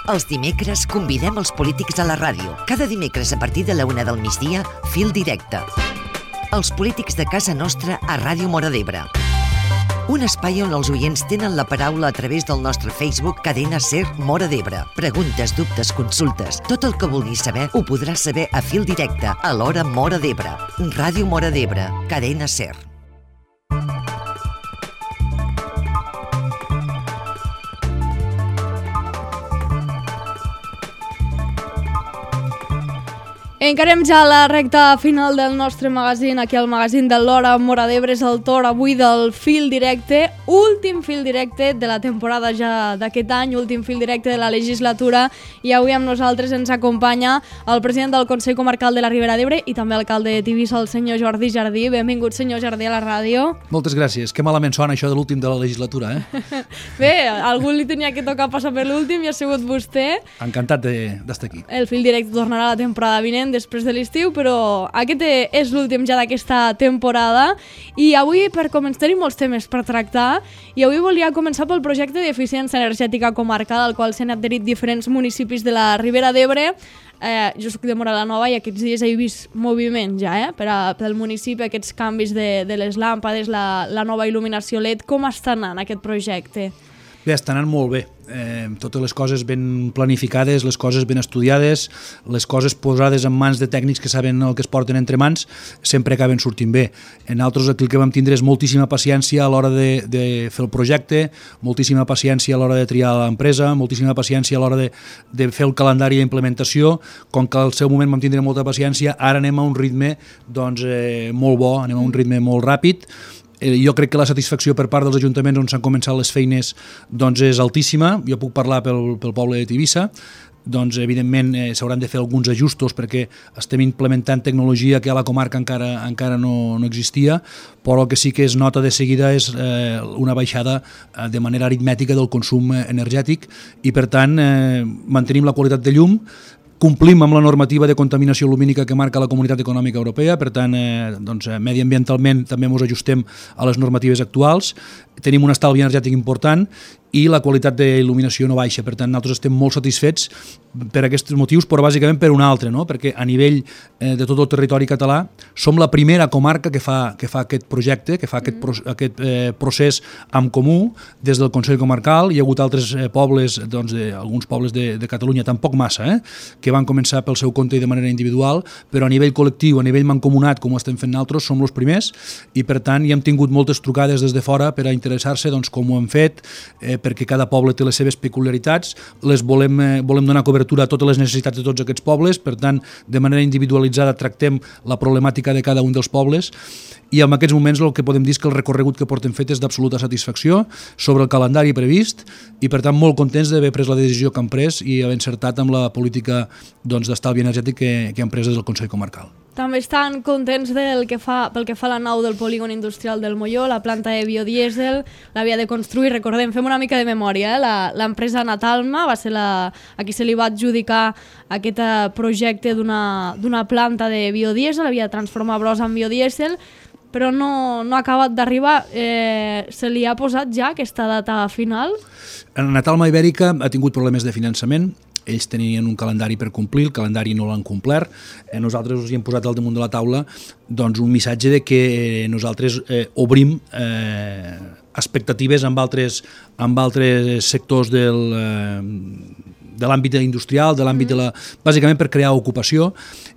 Els dimecres convidem els polítics a la ràdio. Cada dimecres a partir de la 1 del migdia, Fil Directe. Els polítics de casa nostra a Ràdio Móra d'Ebre. Un espai on els oients tenen la paraula a través del nostre Facebook Cadena Ser Móra d'Ebre. Preguntes, dubtes, consultes, tot el que vulguis saber ho podràs saber a Fil Directe, a l'hora Móra d'Ebre. Ràdio Móra d'Ebre, Cadena Ser. Encarem ja la recta final del nostre magazín, aquí al magazín de l'Hora Móra d'Ebre. És el torn avui del Fil Directe, últim Fil Directe de la temporada ja d'aquest any, últim Fil Directe de la legislatura, i avui amb nosaltres ens acompanya el president del Consell Comarcal de la Ribera d'Ebre i també alcalde de Tivissa, el senyor Jordi Jardí. Benvingut, senyor Jardí, a la ràdio. Moltes gràcies. Que malament sona això de l'últim de la legislatura, Bé, algú li tenia que tocar passar per l'últim i ha sigut vostè. Encantat d'estar aquí. El Fil Directe tornarà la temporada vinent, després de l'estiu, però aquest és l'últim ja d'aquesta temporada i avui per començar tenim molts temes per tractar i avui volia començar pel projecte d'eficiència energètica comarcal al qual s'han adherit diferents municipis de la Ribera d'Ebre. Jo soc de Móra la Nova i aquests dies he vist moviment ja pel municipi, aquests canvis de les làmpades, la nova il·luminació LED. Com està anant aquest projecte? Bé, està anant molt bé. Totes les coses ben planificades, les coses ben estudiades, les coses posades en mans de tècnics que saben el que es porten entre mans, sempre acaben sortint bé. Nosaltres aquí el que vam tindre és moltíssima paciència a l'hora de fer el projecte, moltíssima paciència a l'hora de triar l'empresa, moltíssima paciència a l'hora de fer el calendari d'implementació. Com que al seu moment vam tindre molta paciència, ara anem a un ritme molt bo, anem a un ritme molt ràpid. Jo crec que la satisfacció per part dels ajuntaments on s'han començat les feines és altíssima. Jo puc parlar pel poble de Tivissa. Evidentment s'hauran de fer alguns ajustos perquè estem implementant tecnologia que a la comarca encara no existia, però el que sí que es nota de seguida és una baixada de manera aritmètica del consum energètic i per tant mantenim la qualitat de llum, complim amb la normativa de contaminació lumínica que marca la Comunitat Econòmica Europea, per tant, mediambientalment també ens ajustem a les normatives actuals, tenim un estalvi energètic important i la qualitat d'il·luminació no baixa, per tant, nosaltres estem molt satisfets per aquests motius, però bàsicament per un altre, no? Perquè a nivell de tot el territori català som la primera comarca que fa aquest projecte, que fa aquest procés en comú des del Consell Comarcal. Hi ha hagut altres pobles, alguns pobles de Catalunya, tampoc massa, que van començar pel seu compte i de manera individual, però a nivell col·lectiu, a nivell mancomunat, com ho estem fent nosaltres, som els primers i per tant hi hem tingut moltes trucades des de fora per a interessar-se com ho hem fet, perquè cada poble té les seves peculiaritats, les volem donar cobertura a totes les necessitats de tots aquests pobles, per tant, de manera individualitzada tractem la problemàtica de cada un dels pobles i en aquests moments el que podem dir és que el recorregut que portem fet és d'absoluta satisfacció sobre el calendari previst i per tant molt contents d'haver pres la decisió que hem pres i haver encertat amb la política d'estalvi energètic que hem pres des del Consell Comarcal. També estan contents pel que fa a la nau del polígon industrial del Molló, la planta de biodièsel, l'havia de construir, recordem, fem una mica de memòria, l'empresa Natalma va ser a qui se li va adjudicar aquest projecte d'una planta de biodièsel, havia de transformar brossa en biodièsel, però no ha acabat d'arribar. Se li ha posat ja aquesta data final? Natalma Ibèrica ha tingut problemes de finançament. Ells tenien un calendari per complir, el calendari no l'han complert. Nosaltres us hi hem posat al damunt de la taula un missatge de que nosaltres obrim expectatives amb altres sectors de l'àmbit industrial, de l'àmbit bàsicament per crear ocupació.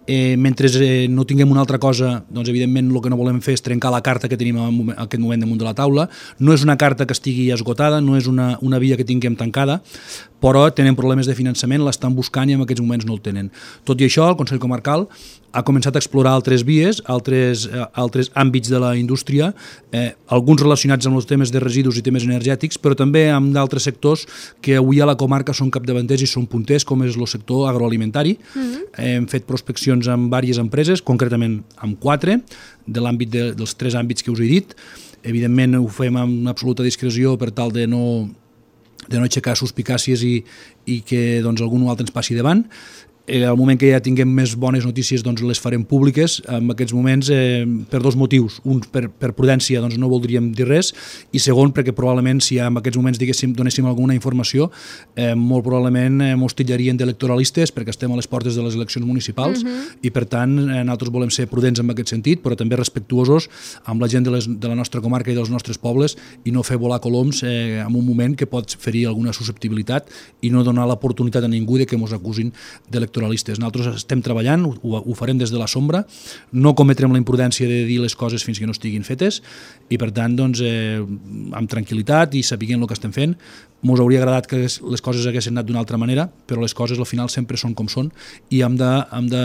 Mentre no tinguem una altra cosa, evidentment el que no volem fer és trencar la carta que tenim en aquest moment damunt de la taula. No és una carta que estigui esgotada, no és una via que tinguem tancada, però tenen problemes de finançament, l'estan buscant i en aquests moments no el tenen. Tot i això, el Consell Comarcal ha començat a explorar altres vies, altres àmbits de la indústria, alguns relacionats amb els temes de residus i temes energètics, però també amb d'altres sectors que avui a la comarca són capdavanters i són punters, com és el sector agroalimentari. Hem fet prospeccions amb diverses empreses, concretament amb 4, de l'àmbit dels 3 àmbits que us he dit. Evidentment ho fem amb absoluta discreció per tal de no aixecar suspicàcies i que algun altre ens passi davant. Al moment que ja tinguem més bones notícies doncs les farem públiques. En aquests moments per dos motius. Un, per prudència, doncs no voldríem dir res, i segon, perquè probablement si en aquests moments donéssim alguna informació, molt probablement ens tillarien d'electoralistes perquè estem a les portes de les eleccions municipals i per tant nosaltres volem ser prudents en aquest sentit, però també respectuosos amb la gent de la nostra comarca i dels nostres pobles i no fer volar coloms en un moment que pot ferir alguna susceptibilitat i no donar l'oportunitat a ningú de que ens acusin d'electoralistes. Nosaltres estem treballant, ho farem des de la sombra, no cometrem la imprudència de dir les coses fins que no estiguin fetes i per tant doncs, amb tranquil·litat i sapiguent el que estem fent. Ens hauria agradat que les coses haguessin anat d'una altra manera, però les coses al final sempre són com són i hem de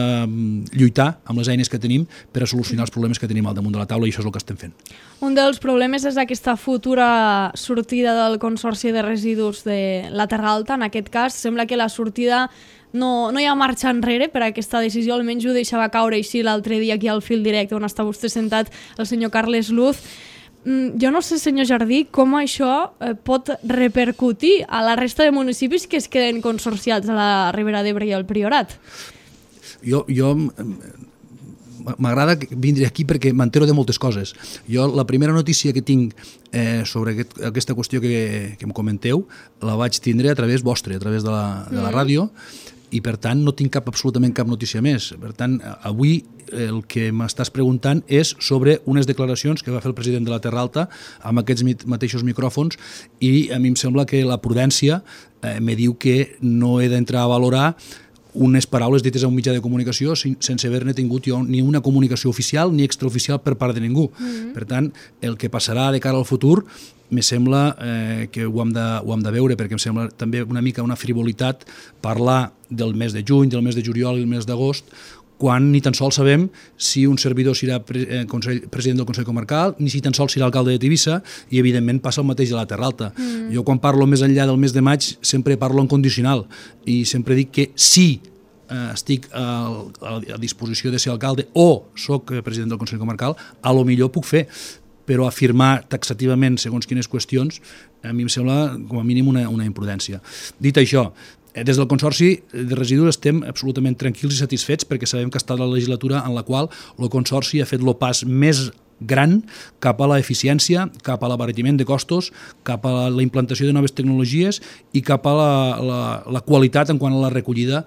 lluitar amb les eines que tenim per a solucionar els problemes que tenim al damunt de la taula i això és el que estem fent. Un dels problemes és aquesta futura sortida del Consorci de Residus de la Terra Alta. En aquest cas sembla que la sortida no hi ha marxa enrere per a aquesta decisió, almenys ho deixava caure així l'altre dia aquí al Fil Directe on està vostè sentat, el senyor Carles Luz. Jo no sé, senyor Jardí, com això pot repercutir a la resta de municipis que es queden consorciats a la Ribera d'Ebre i al Priorat. Jo m'agrada vindre aquí perquè m'entero de moltes coses. Jo la primera notícia que tinc sobre aquesta qüestió que em comenteu la vaig tindre a través vostre, a través de la ràdio, i per tant no tinc absolutament cap notícia més. Per tant, avui el que m'estàs preguntant és sobre unes declaracions que va fer el president de la Terra Alta amb aquests mateixos micròfons i a mi em sembla que la prudència me diu que no he d'entrar a valorar unes paraules dites a un mitjà de comunicació sense haver-ne tingut jo ni una comunicació oficial ni extraoficial per part de ningú. Per tant, el que passarà de cara al futur me sembla que ho hem de veure, perquè em sembla també una mica una frivolitat parlar del mes de juny, del mes de juliol i el mes d'agost, quan ni tan sols sabem si un servidor serà president del Consell Comarcal, ni si tan sols serà alcalde de Tivissa, i evidentment passa el mateix a la Terra Alta. Jo quan parlo més enllà del mes de maig sempre parlo en condicional i sempre dic que si estic a disposició de ser alcalde o soc president del Consell Comarcal, a lo millor puc fer, però afirmar taxativament segons quines qüestions a mi em sembla com a mínim una imprudència. Dit això, des del Consorci de Residus estem absolutament tranquils i satisfets perquè sabem que ha estat la legislatura en la qual el Consorci ha fet el pas més gran cap a l'eficiència, cap a l'abaratiment de costos, cap a la implantació de noves tecnologies i cap a la qualitat en quant a la recollida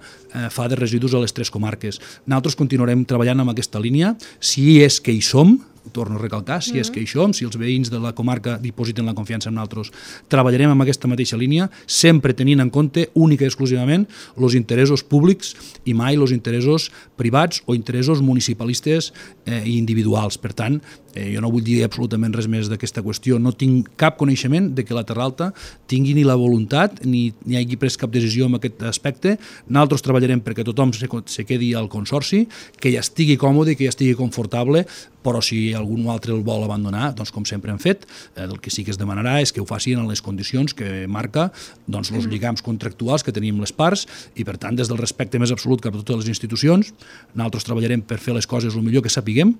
fa de residus a les 3 comarques. Nosaltres continuarem treballant en aquesta línia, si és que hi som, torno a recalcar, si és que hi som, si els veïns de la comarca dipositen la confiança en nosaltres, treballarem amb aquesta mateixa línia, sempre tenint en compte única i exclusivament els interessos públics i mai els interessos privats o interessos municipalistes i individuals. Per tant, jo no vull dir absolutament res més d'aquesta qüestió. No tinc cap coneixement de que la Terra Alta tingui ni la voluntat ni hagi pres cap decisió en aquest aspecte. Nosaltres treballarem perquè tothom se quedi al Consorci, que ja estigui còmode, que ja estigui confortable, però si algun altre el vol abandonar, doncs com sempre hem fet, el que sí que es demanarà és que ho facin en les condicions que marca doncs, els lligams contractuals que tenim les parts i per tant des del respecte més absolut cap a totes les institucions, nosaltres treballarem per fer les coses el millor que sapiguem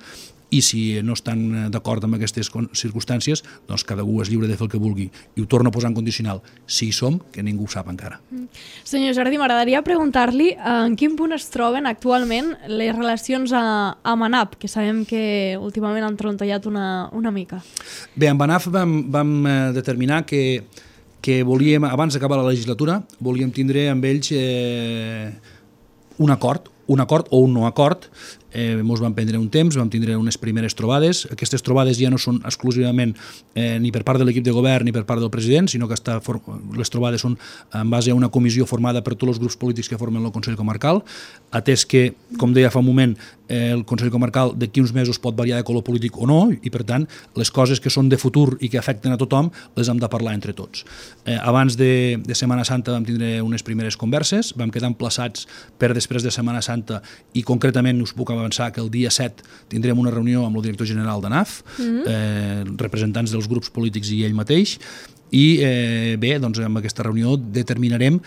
i si no estan d'acord amb aquestes circumstàncies, doncs cada un és lliure de fer el que vulgui. I ho torno a posar en condicional. Si hi som, que ningú ho sap encara. Senyor Jardí, m'agradaria preguntar-li en quin punt es troben actualment les relacions amb ANAP, que sabem que últimament han trontollat una mica. Bé, amb ANAP vam determinar que volíem, abans d'acabar la legislatura, volíem tindre amb ells un acord o un no acord. Ens vam prendre un temps, vam tindre unes primeres trobades. Aquestes trobades ja no són exclusivament ni per part de l'equip de govern ni per part del president, sinó que les trobades són en base a una comissió formada per tots els grups polítics que formen el Consell Comarcal, atès que, com deia fa un moment, el Consell Comarcal d'aquí uns mesos pot variar de color polític o no, i per tant les coses que són de futur i que afecten a tothom les hem de parlar entre tots. Abans de Setmana Santa vam tindre unes primeres converses, vam quedar emplaçats per després de Setmana Santa i concretament us puc avançar que el dia 7 tindrem una reunió amb el director general d'ANAF, representants dels grups polítics i ell mateix, i bé, doncs amb aquesta reunió determinarem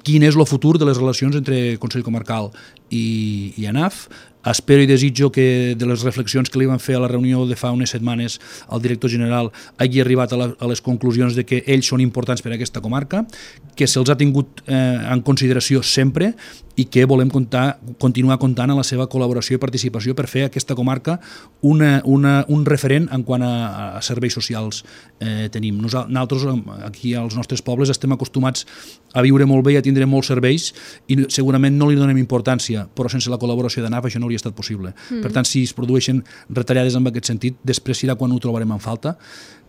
quin és el futur de les relacions entre Consell Comarcal i ANAF, Espero i desitjo que de les reflexions que li van fer a la reunió de fa unes setmanes al director general hagi arribat a les conclusions de que ells són importants per a aquesta comarca, que se'ls ha tingut en consideració sempre i que volem continuar comptant amb la seva col·laboració i participació per fer aquesta comarca un referent en quant a serveis socials tenim. Nosaltres aquí als nostres pobles estem acostumats a viure molt bé i a tindre molts serveis i segurament no li donem importància, però sense la col·laboració d'ANAF això no hauria estat possible. Per tant, si es produeixen retallades en aquest sentit, després serà quan ho trobarem en falta.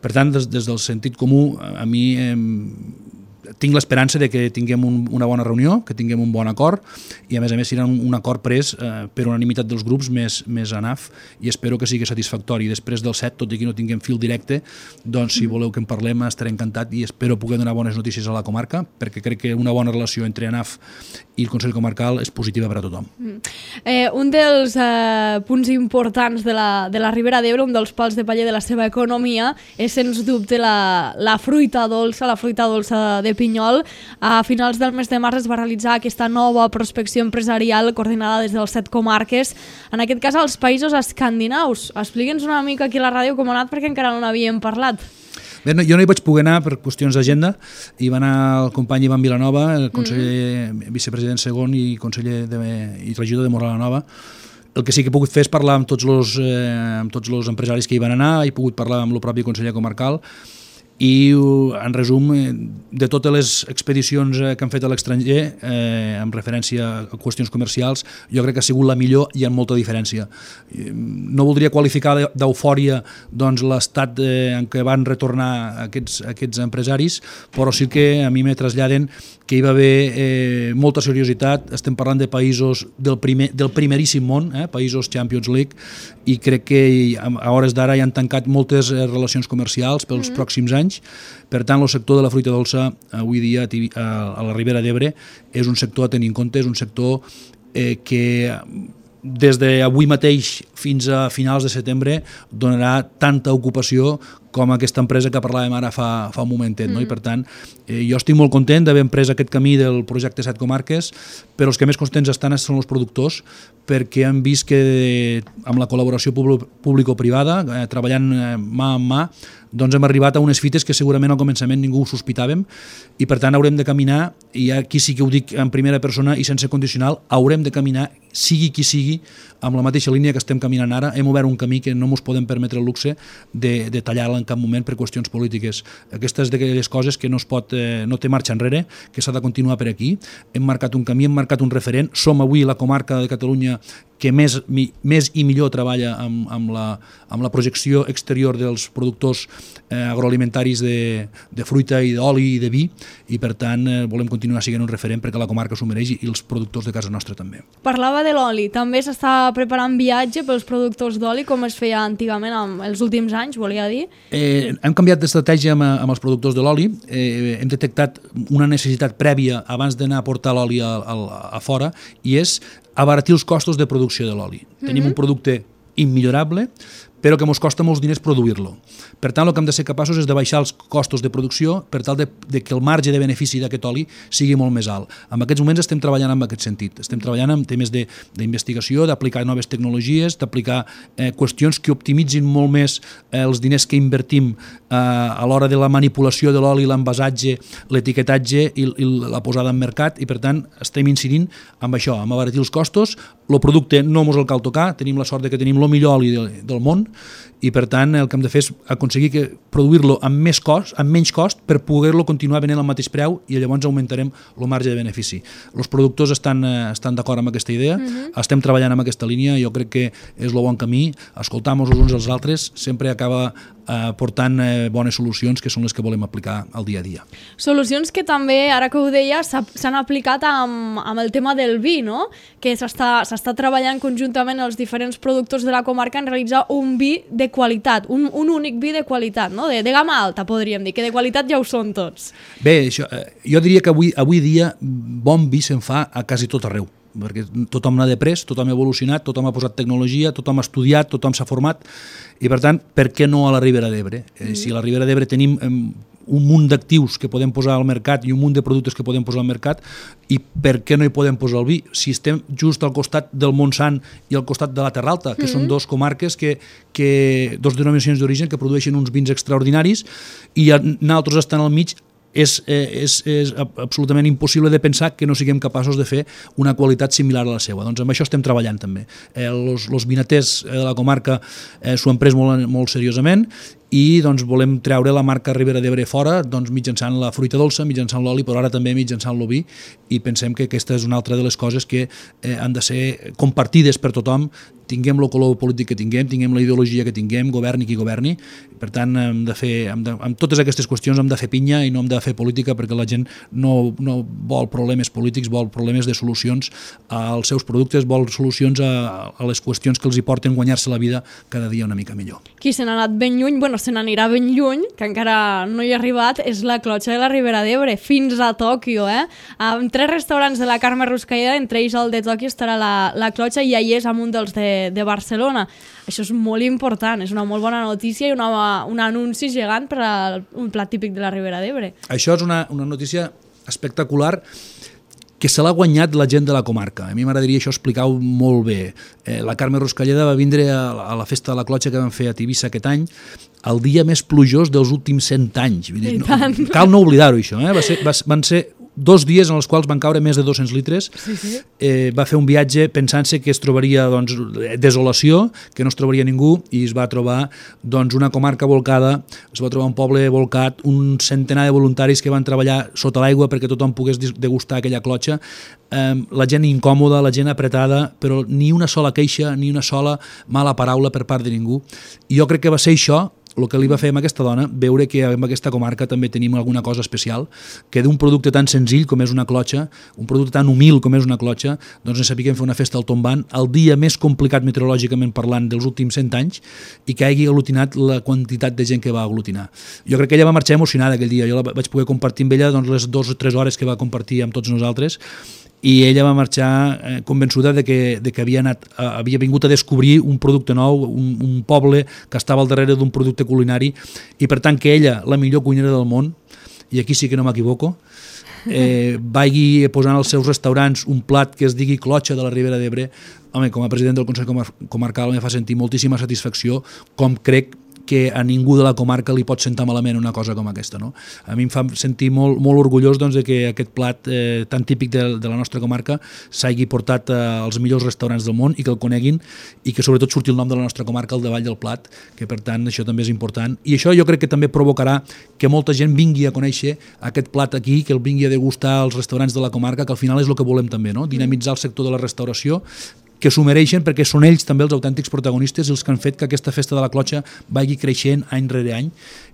Per tant, des del sentit comú, a mi tinc l'esperança de que tinguem una bona reunió, que tinguem un bon acord i a més serà un acord pres per unanimitat dels grups més ANAF i espero que sigui satisfactori. Després del 7, tot i que no tinguem fil directe, doncs si voleu que en parlem estaré encantat i espero poder donar bones notícies a la comarca perquè crec que una bona relació entre ANAF i el Consell Comarcal és positiva per a tothom. Un dels punts importants de la Ribera d'Ebre, un dels pals de paller de la seva economia és sens dubte la fruita dolça, de Pinyol. A finals del mes de març es va realitzar aquesta nova prospecció empresarial coordinada des de les 7 comarques, en aquest cas als països escandinaus. Expliqui'ns una mica aquí a la ràdio com ha anat perquè encara no n'havíem parlat. Bé, jo no hi vaig poder anar per qüestions d'agenda, hi va anar el company Ivan Vilanova, el conseller vicepresident segon i conseller i regidor de Móra la Nova. El que sí que he pogut fer és parlar amb tots els empresaris que hi van anar, he pogut parlar amb el propi conseller comarcal i, en resum, de totes les expedicions que han fet a l'estranger, en referència a qüestions comercials, jo crec que ha sigut la millor i amb molta diferència. No voldria qualificar d'eufòria l'estat en què van retornar aquests empresaris, però sí que a mi me traslladen que hi va haver molta seriositat. Estem parlant de països del primeríssim món, països Champions League, i crec que a hores d'ara ja han tancat moltes relacions comercials pels pròxims anys. Per tant, el sector de la fruita dolça avui dia a la Ribera d'Ebre és un sector a tenir en compte, és un sector que des d'avui mateix fins a finals de setembre donarà tanta ocupació com aquesta empresa que parlàvem ara fa un momentet. No? I per tant, jo estic molt content d'haver emprès aquest camí del projecte 7 comarques, però els que més contents estan són els productors, perquè han vist que amb la col·laboració público-privada, treballant mà amb mà, doncs hem arribat a unes fites que segurament al començament ningú ho sospitàvem i per tant haurem de caminar, i aquí sí que ho dic en primera persona i sense condicional, haurem de caminar, sigui qui sigui, amb la mateixa línia que estem caminant ara. Hem obert un camí que no ens podem permetre el luxe de tallar-la en cap moment per qüestions polítiques. Aquestes d'aquelles coses que no té marxa enrere, que s'ha de continuar per aquí. Hem marcat un camí, hem marcat un referent. Som avui la comarca de Catalunya que més i millor treballa amb la projecció exterior dels productors agroalimentaris de fruita i d'oli i de vi, i per tant volem continuar sent un referent perquè la comarca s'ho mereix i els productors de casa nostra també. Parlava de l'oli, també s'està preparant viatge pels productors d'oli com es feia antigament en els últims anys, volia dir? Hem canviat d'estratègia amb els productors de l'oli, hem detectat una necessitat prèvia abans d'anar a portar l'oli a fora, i és abaratir els costos de producció de l'oli. Tenim un producte immillorable, però que ens costa molts diners produir-lo. Per tant, el que hem de ser capaços és de baixar els costos de producció per tal de que el marge de benefici d'aquest oli sigui molt més alt. En aquests moments estem treballant en aquest sentit. Estem treballant en temes d'investigació, d'aplicar noves tecnologies, d'aplicar qüestions que optimitzin molt més els diners que invertim a l'hora de la manipulació de l'oli, l'envasatge, l'etiquetatge i la posada en mercat, i per tant estem incidint amb això, amb abaratir els costos. El producte no ens el cal tocar, tenim la sort que tenim el millor oli del món, i per tant el que hem de fer és aconseguir produir-lo amb menys cost per poder-lo continuar venent al mateix preu, i llavors augmentarem el marge de benefici. Els productors estan d'acord amb aquesta idea, estem treballant en aquesta línia, jo crec que és el bon camí. Escoltar-nos els uns als altres sempre acaba portant bones solucions, que són les que volem aplicar al dia a dia. Solucions que també, ara que ho deia, s'han aplicat amb el tema del vi, no? Que s'està treballant conjuntament els diferents productors de la comarca en realitzar un vi de qualitat, un únic vi de qualitat, no? De gamma alta, podríem dir, que de qualitat ja ho són tots. Bé, jo diria que avui dia bon vi se'n fa a quasi tot arreu, perquè tothom n'ha després, tothom ha evolucionat, tothom ha posat tecnologia, tothom ha estudiat, tothom s'ha format, i per tant, per què no a la Ribera d'Ebre? Si a la Ribera d'Ebre tenim un munt d'actius que podem posar al mercat i un munt de productes que podem posar al mercat, i per què no hi podem posar el vi? Si estem just al costat del Montsant i al costat de la Terra Alta, que són dos comarques, dos denominacions d'origen que produeixen uns vins extraordinaris, i nosaltres estan al mig, és absolutament impossible de pensar que no siguem capaços de fer una qualitat similar a la seva. Doncs amb això estem treballant també. Els vinaters de la comarca s'ho han pres molt seriosament, i doncs volem treure la marca Ribera d'Ebre fora, doncs mitjançant la fruita dolça, mitjançant l'oli, però ara també mitjançant l'oví, i pensem que aquesta és una altra de les coses que han de ser compartides per tothom, tinguem el color polític que tinguem la ideologia que tinguem, governi qui governi. Per tant, amb totes aquestes qüestions hem de fer pinya i no hem de fer política, perquè la gent no vol problemes polítics, vol problemes de solucions als seus productes, vol solucions a les qüestions que els hi porten guanyar-se la vida cada dia una mica millor. Qui se n'ha anat ben lluny, se n'anirà ben lluny, que encara no hi ha arribat, és la clotxa de la Ribera d'Ebre, fins a Tòquio, amb 3 restaurants de la Carme Ruscalleda, entre ells el de Tòquio estarà la clotxa, i allà és amb un dels de Barcelona. Això és molt important, és una molt bona notícia i un anunci gegant per un plat típic de la Ribera d'Ebre. Això és una notícia espectacular que se l'ha guanyat la gent de la comarca. A mi m'agradaria això explicar-ho molt bé. La Carme Ruscalleda va vindre a la festa de la clotxa que vam fer a Tivissa aquest any, el dia més plujós dels últims 100 anys. Cal no oblidar-ho, això. Van ser 2 dies en els quals van caure més de 200 litres. Sí. Va fer un viatge pensant-se que es trobaria desolació, que no es trobaria ningú, i es va trobar una comarca volcada, es va trobar un poble volcat, un centenar de voluntaris que van treballar sota l'aigua perquè tothom pogués degustar aquella clotxa, la gent incòmoda, la gent apretada, però ni una sola queixa, ni una sola mala paraula per part de ningú. I jo crec que va ser això el que li va fer a aquesta dona, veure que en aquesta comarca també tenim alguna cosa especial, que d'un producte tan senzill com és una clotxa, un producte tan humil com és una clotxa, doncs ens sapiguem fer una festa al tombant, el dia més complicat meteorològicament parlant dels últims 100 anys, i que hagi aglutinat la quantitat de gent que va aglutinar. Jo crec que ella va marxar emocionada aquell dia, jo la vaig poder compartir amb ella les 2 o 3 hores que va compartir amb tots nosaltres, i ella va marxar convençuda de que havia vingut a descobrir un producte nou, un poble que estava al darrere d'un producte culinari, i per tant que ella, la millor cuinera del món, i aquí sí que no m'equivoco, vagi posant als seus restaurants un plat que es digui clotxa de la Ribera d'Ebre. Home, com a president del Consell Comarcal me fa sentir moltíssima satisfacció, com crec que a ningú de la comarca li pot sentar malament una cosa com aquesta. No? A mi em fa sentir molt orgullós de que aquest plat tan típic de la nostra comarca s'hagi portat als millors restaurants del món i que el coneguin, i que sobretot surti el nom de la nostra comarca al davall del plat, que per tant això també és important. I això jo crec que també provocarà que molta gent vingui a conèixer aquest plat aquí, que el vingui a degustar als restaurants de la comarca, que al final és el que volem també, no? Dinamitzar el sector de la restauració, que s'ho mereixen perquè són ells també els autèntics protagonistes, els que han fet que aquesta festa de la clotxa vagi creixent any rere any.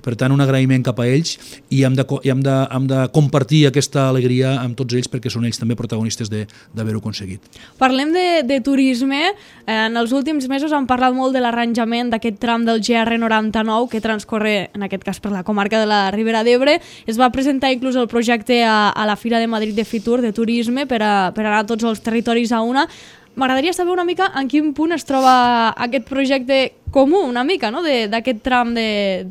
Per tant, un agraïment cap a ells, i hem de compartir aquesta alegria amb tots ells, perquè són ells també protagonistes d'haver-ho aconseguit. Parlem de turisme. En els últims mesos han parlat molt de l'arranjament d'aquest tram del GR99 que transcorre, en aquest cas, per la comarca de la Ribera d'Ebre. Es va presentar inclús el projecte a la Fira de Madrid de Fitur de turisme per anar a tots els territoris a una. M'agradaria saber una mica en quin punt es troba aquest projecte comú, una mica, no?, d'aquest tram del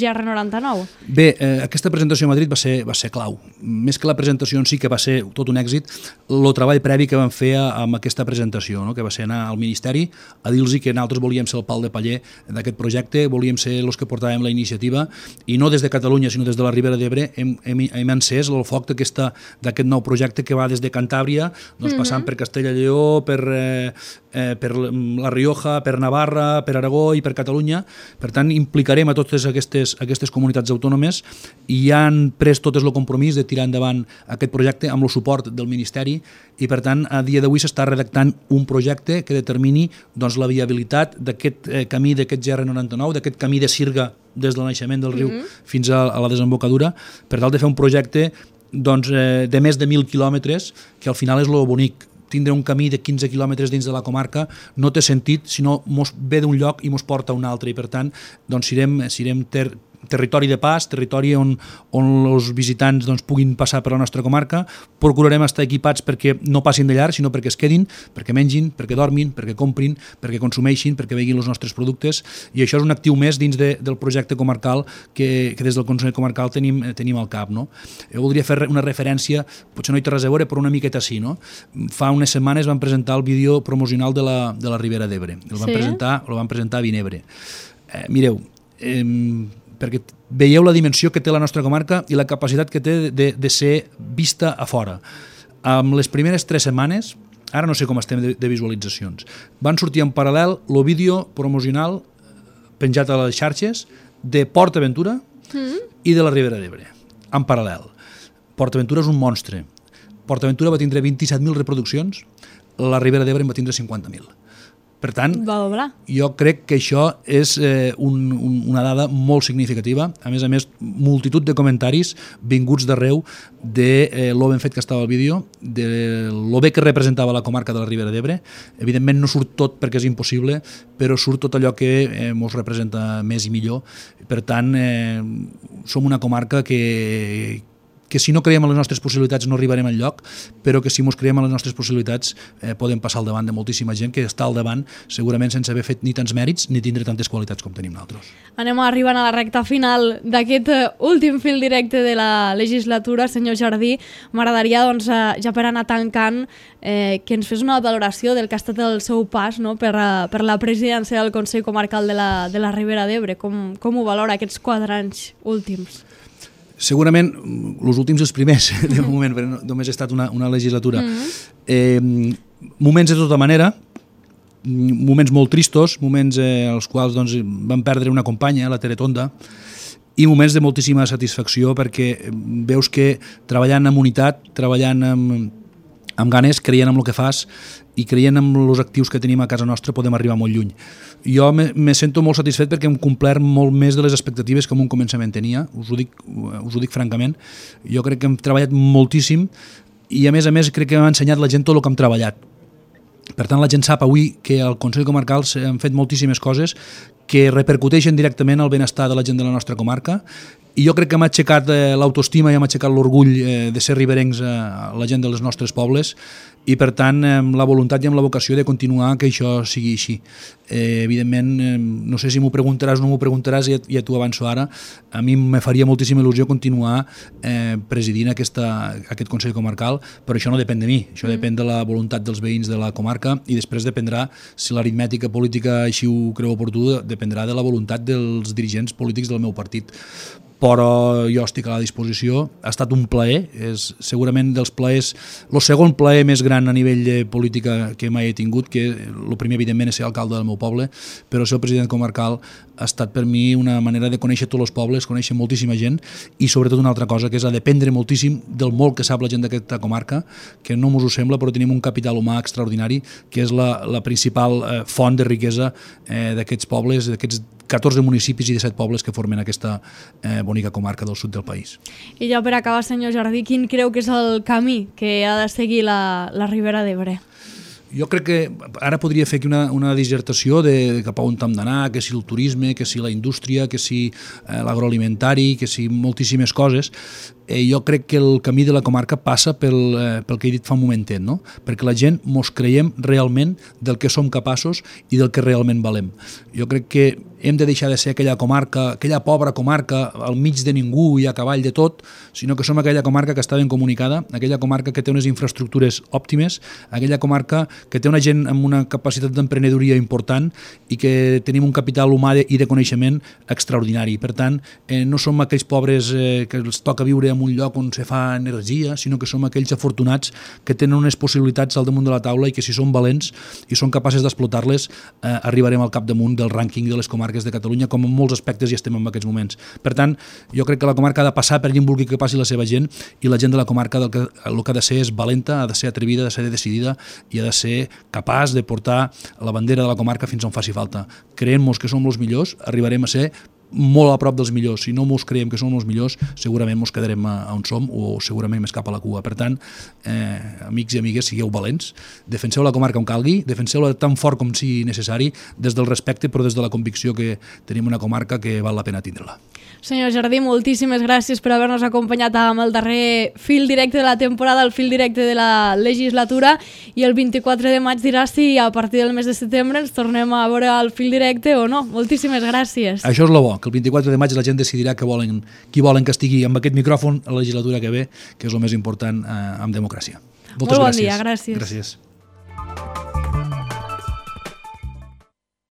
GR99. Bé, aquesta presentació a Madrid va ser clau. Més que la presentació en si, que va ser tot un èxit, el treball previ que vam fer amb aquesta presentació, no?, que va ser anar al Ministeri a dir-los que nosaltres volíem ser el pal de paller d'aquest projecte, volíem ser els que portàvem la iniciativa, i no des de Catalunya, sinó des de la Ribera d'Ebre hem encès el foc d'aquest nou projecte que va des de Cantàbria, passant per Castella i Lleó, per la Rioja, per Navarra, per Aragó i per Catalunya. Per tant, implicarem a totes aquestes comunitats autònomes, i ja han pres totes el compromís de tirar endavant aquest projecte amb el suport del Ministeri, i per tant, a dia d'avui s'està redactant un projecte que determini la viabilitat d'aquest camí, d'aquest GR99, d'aquest camí de sirga des del naixement del riu fins a la desembocadura, per tal de fer un projecte de més de 1.000 quilòmetres, que al final és el bonic. Tindre un camí de 15 quilòmetres dins de la comarca no té sentit si no mos ve d'un lloc i mos porta a un altre, i per tant serem territori de pas, territori on els visitants doncs, puguin passar per la nostra comarca. Procurarem estar equipats perquè no passin de llarg, sinó perquè es quedin, perquè mengin, perquè dormin, perquè comprin, perquè consumeixin, perquè veguin els nostres productes, i això és un actiu més dins del projecte comarcal que des del Consell Comarcal tenim al cap. No? Jo voldria fer una referència, potser no hi té res a veure, però una miqueta sí. No? Fa unes setmanes vam presentar el vídeo promocional de la Ribera d'Ebre. El van presentar a Vinebre. Mireu, perquè veieu la dimensió que té la nostra comarca i la capacitat que té de ser vista a fora. Amb les primeres 3 setmanes, ara no sé com estem de visualitzacions, van sortir en paral·lel el vídeo promocional penjat a les xarxes de Port Aventura i de la Ribera d'Ebre, en paral·lel. Port Aventura és un monstre. Port Aventura va tindre 27.000 reproduccions, la Ribera d'Ebre en va tindre 50.000. Per tant, jo crec que això és una dada molt significativa. A més, multitud de comentaris vinguts d'arreu de lo ben fet que estava el vídeo, de lo bé que representava la comarca de la Ribera d'Ebre. Evidentment no surt tot perquè és impossible, però surt tot allò que ens representa més i millor. Per tant, som una comarca que si no creiem en les nostres possibilitats no arribarem enlloc, però que si ens creiem en les nostres possibilitats podem passar al davant de moltíssima gent que està al davant segurament sense haver fet ni tants mèrits ni tindre tantes qualitats com tenim nosaltres. Anem arribant a la recta final d'aquest últim fil directe de la legislatura. Senyor Jardí, m'agradaria, doncs, ja per anar tancant, que ens fes una valoració del que ha estat el seu pas, no, per la presidència del Consell Comarcal de la Ribera d'Ebre. Com ho valora aquests 4 anys últims? Segurament, els últims els primers, de moment, perquè només ha estat una legislatura. Moments de tota manera, moments molt tristos, moments als quals doncs, vam perdre una companya, la Tere Tonda, i moments de moltíssima satisfacció perquè veus que treballant amb unitat, treballant amb ganes, creient en el que fas i creient en els actius que tenim a casa nostra podem arribar molt lluny. Jo me sento molt satisfet perquè hem complert molt més de les expectatives que en un començament tenia, us ho dic francament. Jo crec que hem treballat moltíssim i a més crec que hem ensenyat la gent tot el que hem treballat. Per tant, la gent sap avui que al Consell Comarcal s'han fet moltíssimes coses que repercuteixen directament al benestar de la gent de la nostra comarca, i jo crec que m'ha aixecat l'autoestima i m'ha aixecat l'orgull de ser riberencs a la gent dels nostres pobles, i per tant amb la voluntat i amb la vocació de continuar que això sigui així. Evidentment, no sé si m'ho preguntaràs o no m'ho preguntaràs, ja t'ho avanço ara, a mi me faria moltíssima il·lusió continuar presidint aquest Consell Comarcal, però això no depèn de mi, això depèn de la voluntat dels veïns de la comarca i després dependrà, si l'aritmètica política així ho creu oportú, dependrà de la voluntat dels dirigents polítics del meu partit. Però jo estic a la disposició. Ha estat un plaer, és segurament dels plaers, el segon plaer més gran a nivell de política que mai he tingut, que el primer evidentment és ser alcalde del meu poble, però ser el president comarcal ha estat per mi una manera de conèixer tots els pobles, conèixer moltíssima gent i sobretot una altra cosa, que és a dependre moltíssim del molt que sap la gent d'aquesta comarca, que no mos ho sembla, però tenim un capital humà extraordinari, que és la principal font de riquesa d'aquests pobles, d'aquests 14 municipis i 17 pobles que formen aquesta bonica comarca del sud del país. I ja per acabar, senyor Jardí, quin creu que és el camí que ha de seguir la Ribera d'Ebre? Jo crec que ara podria fer aquí una dissertació de cap a on hem d'anar, que si el turisme, que si la indústria, que si l'agroalimentari, que si moltíssimes coses. Jo crec que el camí de la comarca passa pel que he dit fa un momentet, no? Perquè la gent mos creiem realment del que som capaços i del que realment valem. Jo crec que hem de deixar de ser aquella comarca, aquella pobra comarca al mig de ningú i a cavall de tot, sinó que som aquella comarca que està ben comunicada, aquella comarca que té unes infraestructures òptimes, aquella comarca que té una gent amb una capacitat d'emprenedoria important i que tenim un capital humà i de coneixement extraordinari. Per tant, no som aquells pobres que els toca viure en un lloc on se fa energia, sinó que som aquells afortunats que tenen unes possibilitats al damunt de la taula i que si són valents i són capaces d'explotar-les arribarem al capdamunt del rànquing de les comarques de Catalunya, com en molts aspectes ja estem en aquests moments. Per tant, jo crec que la comarca ha de passar per allà on vulgui que passi la seva gent i la gent de la comarca el que ha de ser és valenta, ha de ser atrevida, ha de ser decidida i ha de ser capaç de portar la bandera de la comarca fins on faci falta. Creient-nos que som els millors, arribarem a ser molt a prop dels millors. Si no mos creiem que som els millors, segurament mos quedarem on som o segurament més cap a la cua. Per tant, amics i amigues, sigueu valents, defenseu la comarca on calgui, defenseu-la tan fort com sigui necessari, des del respecte però des de la convicció que tenim una comarca que val la pena tindre-la. Senyor Jardí, moltíssimes gràcies per haver-nos acompanyat amb el darrer fil directe de la temporada, el fil directe de la legislatura, i el 24 de maig dirà si a partir del mes de setembre ens tornem a veure el fil directe o no. Moltíssimes gràcies. Això és el bo, que el 24 de maig la gent decidirà qui volen que estigui amb aquest micròfon a la legislatura que ve, que és el més important en democràcia. Molt bon dia, gràcies. Gràcies.